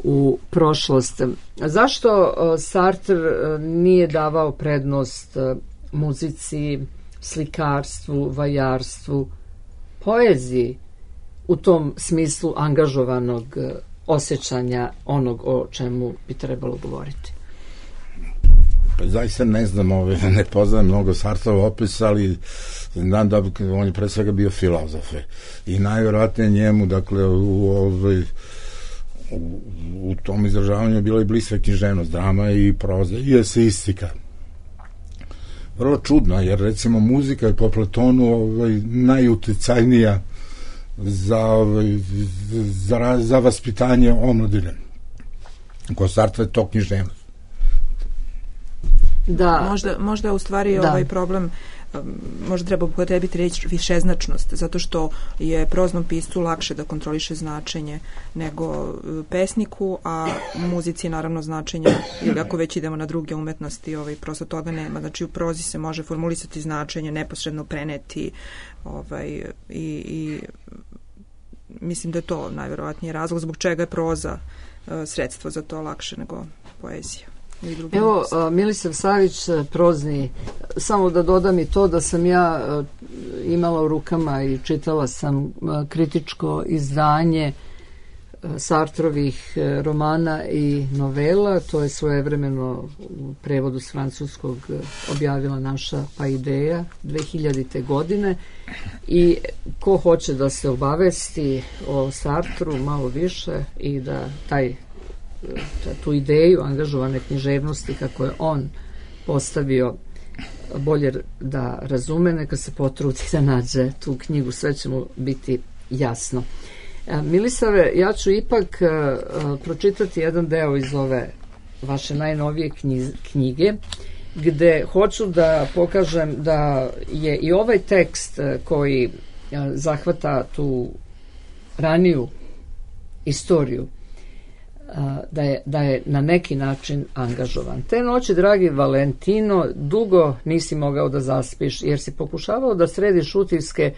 u prošlost. Zašto Sartre nije davao prednost muzici, slikarstvu, vajarstvu, poeziji u tom smislu angažovanog osjećanja onog o čemu bi trebalo govoriti? Pa zaista ne znam, ove, ne poznajem mnogo Sartrov opis, ali znam da on je pre svega bio filozofe i najvjerojatnije njemu, dakle, u, ove, u, u tom izražavanju je bila i bliska književnost, drama i proza i eseistika. Vrlo čudno, jer recimo muzika je po Platonu ovaj, najuticajnija za, ovaj, za, za vaspitanje omladine. Ko Sartre je to književnost. Da, možda, možda je u stvari da. ovaj problem, možda treba upotrebiti reč višeznačnost, zato što je proznom piscu lakše da kontroliše značenje nego pesniku, a muzici naravno značenja, ili ako već idemo na druge umetnosti, ovaj, prosto toga nema. Znači u prozi se može formulisati značenje, neposredno preneti ovaj, i, i mislim da je to najverovatniji razlog zbog čega je proza sredstvo za to lakše nego poezija. Evo, Milisav Savić, prozni, samo da dodam i to da sam ja imala u rukama i čitala sam kritičko izdanje Sartrovih romana i novela, to je svojevremeno u prevodu s francuskog objavila naša pa ideja dve hiljadite. godine i ko hoće da se obavesti o Sartru malo više i da taj tu ideju angažovane književnosti kako je on postavio bolje da razume, neka se potrudi da nađe tu knjigu, sve će mu biti jasno. Milisave, ja ću ipak pročitati jedan deo iz ove vaše najnovije knjige, gde hoću da pokažem da je i ovaj tekst koji zahvata tu raniju istoriju Da je, da je na neki način angažovan. Te noći, dragi Valentino, dugo nisi mogao da zaspiš, jer si pokušavao da središ utiske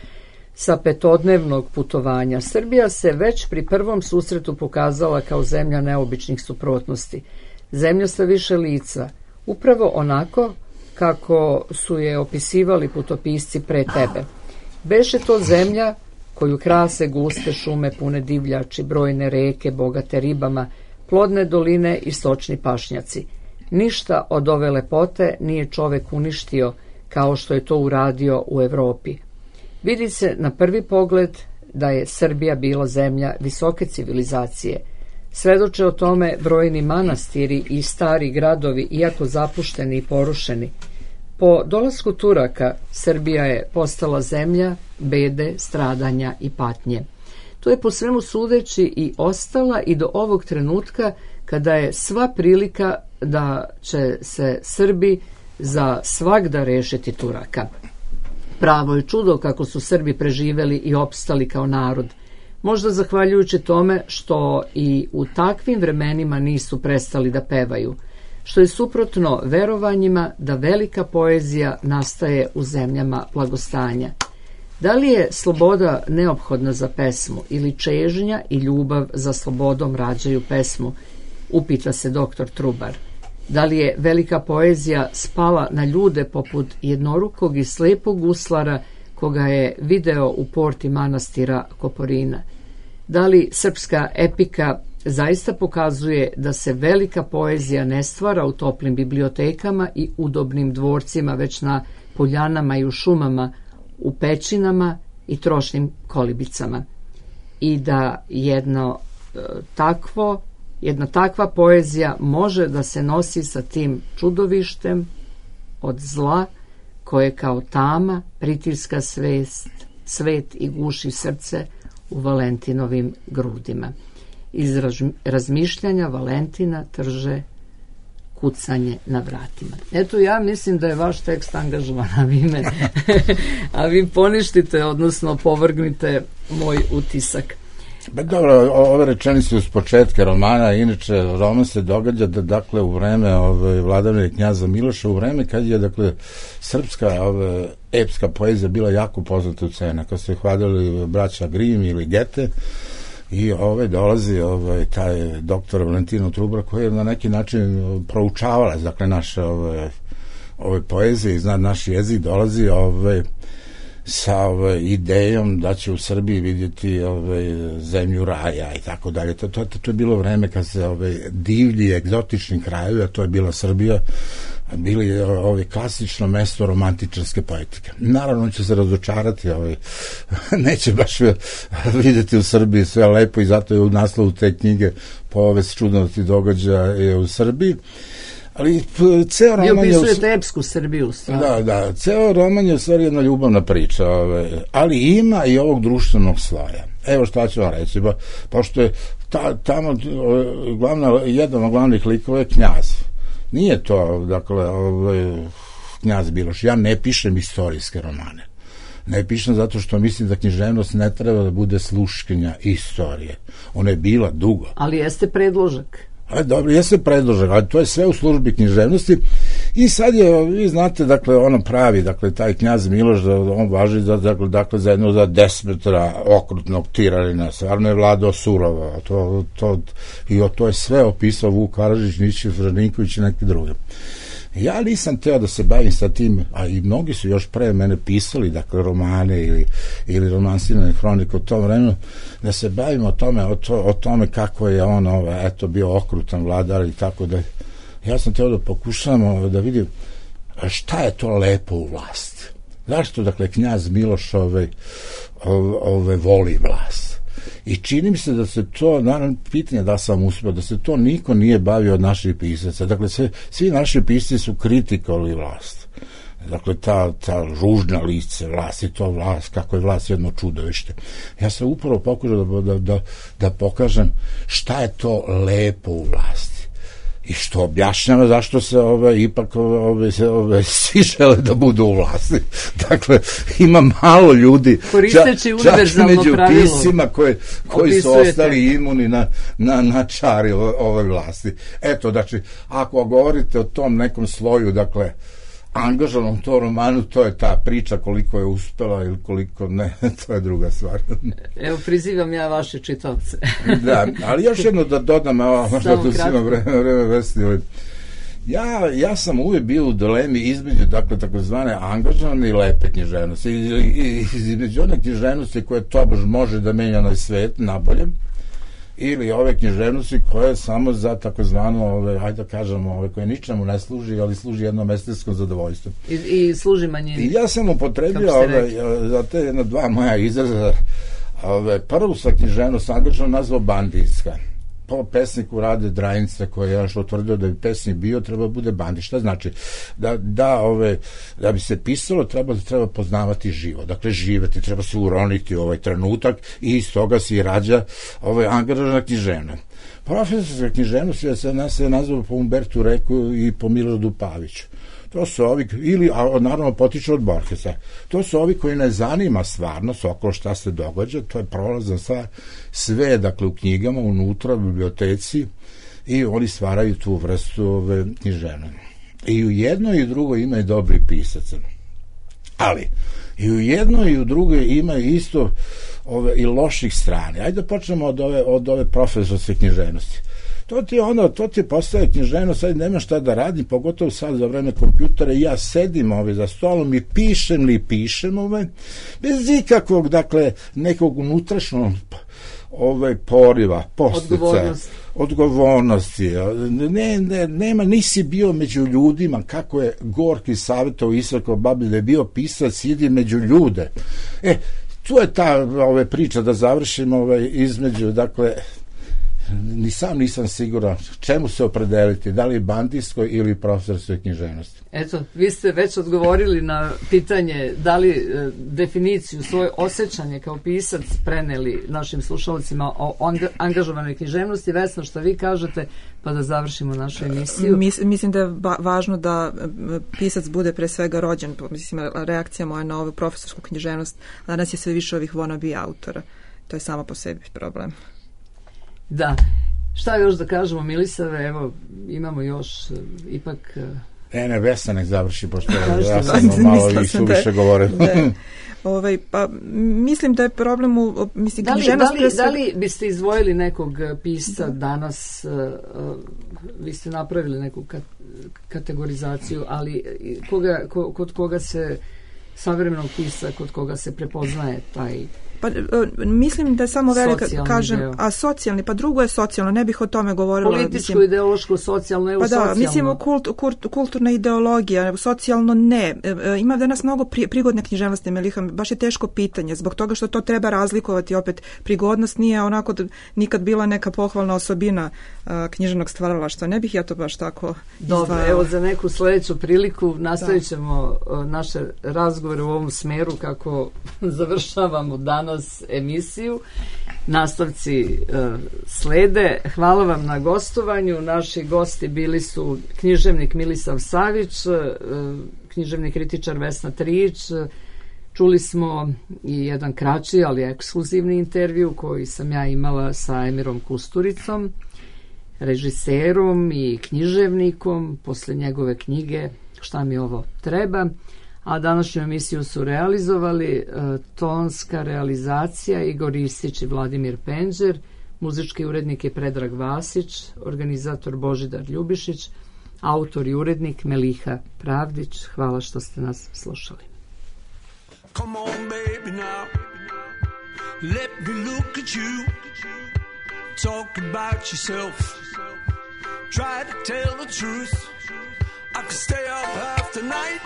sa petodnevnog putovanja. Srbija se već pri prvom susretu pokazala kao zemlja neobičnih suprotnosti. Zemlja sa više lica, upravo onako kako su je opisivali putopisci pre tebe. Beše to zemlja koju krase guste šume pune divljači, brojne reke bogate ribama, plodne doline i stočni pašnjaci. Ništa od ove lepote nije čovek uništio kao što je to uradio u Evropi. Vidi se na prvi pogled da je Srbija bila zemlja visoke civilizacije. Svedoče o tome brojni manastiri i stari gradovi, iako zapušteni i porušeni. Po dolasku Turaka, Srbija je postala zemlja bede, stradanja i patnje. To je po svemu sudeći i ostala i do ovog trenutka kada je sva prilika da će se Srbi za svagda rešiti Turaka. Pravo je čudo kako su Srbi preživeli i opstali kao narod. Možda zahvaljujući tome što i u takvim vremenima nisu prestali da pevaju, što je suprotno verovanjima da velika poezija nastaje u zemljama blagostanja. Da li je sloboda neophodna za pesmu ili čežnja i ljubav za slobodom rađaju pesmu, upita se doktor Trubar. Da li je velika poezija spala na ljude poput jednorukog i slepog guslara koga je video u porti manastira Koporina? Da li srpska epika zaista pokazuje da se velika poezija ne stvara u toplim bibliotekama i udobnim dvorcima, već na poljanama i u šumama, u pećinama i trošnim kolibicama. I da jedno e, takvo, jedna takva poezija može da se nosi sa tim čudovištem od zla koje kao tama pritiska svest, svet i guši srce u Valentinovim grudima. Iz razmišljanja Valentina trže kucanje na vratima. Eto, ja mislim da je vaš tekst angažovan, a vi me, a vi poništite, odnosno povrgnite moj utisak. Ba dobro, ove rečenice uz početka romana, inače roman se događa da, dakle, u vreme ove vladavine knjaza Miloša, u vreme kad je, dakle, srpska ove, epska poezija bila jako poznata u cena, kad se hvalili braća Grim ili Gete, i ove dolazi ovaj taj doktor Valentino Trubra koji je na neki način proučavala, dakle, naše ove, ove poezije i zna naš jezik, dolazi ove sa ove idejom da će u Srbiji vidjeti ove zemlju raja i tako dalje. To, to, to je bilo vreme kad se ove divlji, egzotični krajevi, a to je bila Srbija, bili ovaj klasično mesto romantičarske poetike. Naravno će se razočarati, ovaj neće baš vidjeti u Srbiji sve lepo i zato je u naslovu te knjige povest čudnosti događaja u Srbiji. Ali ceo roman je... Vi opisujete epsku Srbiju. Stvarno. Da, da, ceo roman je u stvari jedna ljubavna priča, ovaj, ali ima i ovog društvenog sloja. Evo šta ću vam reći, ba, pošto je ta, tamo glavna, jedan od glavnih likova je knjaz. Nije to, dakle, ovaj, knjaz Miloš. Ja ne pišem istorijske romane. Ne pišem zato što mislim da književnost ne treba da bude sluškinja istorije. Ona je bila dugo. Ali jeste predložak. A, dobro, jeste predložak, ali to je sve u službi književnosti. I sad je, vi znate, dakle, ono pravi, dakle, taj knjaz Miloš, da on važi za, dakle, dakle, za jedno za desmetra okrutnog tiralina. Stvarno je vladao surovo. To, to, I to je sve opisao Vuk Karadžić, Nićić, Vraninković i neki drugi. Ja nisam teo da se bavim sa tim, a i mnogi su još pre mene pisali, dakle, romane ili, ili romansirane hronike u tom vremenu, da se bavimo o tome, o, to, o tome kako je on, ovaj, eto, bio okrutan vladar i tako da. Ja sam teo da pokušamo da vidim šta je to lepo u vlasti. Zašto, dakle, knjaz Miloš ove, ove, ove voli vlast? I čini mi se da se to, naravno, pitanje da sam uspio, da se to niko nije bavio od naših pisaca. Dakle, sve, svi naši pisci su kritikovali vlast. Dakle, ta, ta ružna lice vlasti, to vlast, kako je vlast jedno čudovište. Ja sam upravo pokušao da, da, da, da pokažem šta je to lepo u vlasti. I što objašnjava zašto se ove, ipak ove, se, ove, svi žele da budu u vlasti. Dakle, ima malo ljudi, koristeći univerzalno pravilo, čak među pisima koje, koji opisujete. Su ostali imuni na, na, na čari ove, ove vlasti. Eto, znači, ako govorite o tom nekom sloju, dakle, angažovanom to romanu, to je ta priča, koliko je uspela ili koliko ne, to je druga stvar. Evo, prizivam ja vaše čitavce. Da, ali još jedno da dodam, evo, možda tu svima vreme, vreme vesti. Ja, ja sam uvijek bio u dilemi između, dakle, takozvane angažovane i lepe književnosti. I, i, između one književnosti koje tobož može da menja na svet, nabolje, ili ove književnosti koje samo za takozvano, ove, hajde da kažemo, ove, koje ničemu ne služi, ali služi jednom estetskom zadovoljstvu. I, i služi manjini. I ja sam upotrebio ove, za te jedna dva moja izraza. Ove, prvu sa književnost angažovano nazvao banditska. Po pesniku Rade Drajinca, koji je još utvrdio da bi pesnik bio, treba bude bandit. Šta znači? Da, da, ove, da bi se pisalo, treba, treba poznavati živo. Dakle, živeti, treba se uroniti u ovaj trenutak i iz toga se i rađa ovaj, angažovana književnost. Profesorska književnost je se nas je nazvao po Umbertu Reku i po Miloradu Paviću. To su ovi, ili, a naravno potiču od Borgesa, to su ovi koji ne zanima stvarnost oko šta se događa, to je prolazna stvar, sve, dakle, u knjigama, unutra, u biblioteci, i oni stvaraju tu vrstu ove književnosti. I u jednoj i u drugoj imaju dobri pisaca. Ali, i u jednoj i u drugoj imaju isto ove, i loših strane. Ajde da počnemo od ove, od ove profesorske književnosti. To ti je ono, to ti je postaje književnost, sad nema šta da radim, pogotovo sad za vreme kompjutera, i ja sedim ove za stolom i pišem li pišem ove, bez ikakvog, dakle, nekog unutrašnjog ove poriva, posticaja, odgovornosti. Ne, ne, nema, nisi bio među ljudima, kako je Gorki savjetao Isakov babi, da je bio pisac, idi među ljude. E, tu je ta ove priča da završimo ovaj, između, dakle, ni sam nisam siguran čemu se opredeliti, da li bandijskoj ili profesorskoj književnosti. Eto, vi ste već odgovorili na pitanje da li e, definiciju, svoje osjećanje kao pisac preneli našim slušalcima o angažovanoj književnosti. Vesno, što vi kažete, pa da završimo našu emisiju. Mis, mislim da je ba, važno da pisac bude pre svega rođen, mislim, reakcija moja na ovu profesorsku književnost, danas je sve više ovih wannabe autora. To je samo po sebi problem. Da. Šta još da kažemo, Milisave? Evo, imamo još uh, ipak... Uh... E, ne, Vesna nek završi, pošto ja sam malo i suviše govorio. Ovaj, pa, mislim da je problem u... Mislim, da, li, da, li, da li biste izdvojili nekog pisca da. danas, uh, uh, vi ste napravili neku kat, kategorizaciju, ali koga, ko, kod koga se savremenog pisca, kod koga se prepoznaje taj... Pa, mislim da je samo velika, kažem, deo. a socijalni, pa drugo je socijalno, ne bih o tome govorila. Političko, mislim, ideološko, socijalno, evo pa da, socijalno. Mislim, kult, kult, kulturna ideologija, socijalno ne. Ima danas mnogo pri, prigodne književnosti, Meliha, baš je teško pitanje, zbog toga što to treba razlikovati, opet, prigodnost nije onako nikad bila neka pohvalna osobina a, književnog stvaralaštva. Ne bih ja to baš tako Dobro, izdvajala. Evo za neku sledeću priliku nastavit ćemo da. naše razgovore u ovom smeru kako završavamo danas emisiju. Nastavci uh, slede. Hvala vam na gostovanju. Naši gosti bili su književnik Milisav Savić, uh, književni kritičar Vesna Trijić. Čuli smo i jedan kraći, ali ekskluzivni intervju koji sam ja imala sa Emirom Kusturicom, režiserom i književnikom posle njegove knjige Šta mi ovo treba. A današnju emisiju su realizovali uh, tonska realizacija Igor Istić i Vladimir Penđer, muzički urednik je Predrag Vasić, organizator Božidar Ljubišić, autor i urednik Meliha Pravdić. Hvala što ste nas slušali. Come on baby now, let me look at you, talk about yourself, try to tell the truth, I could stay up half the night,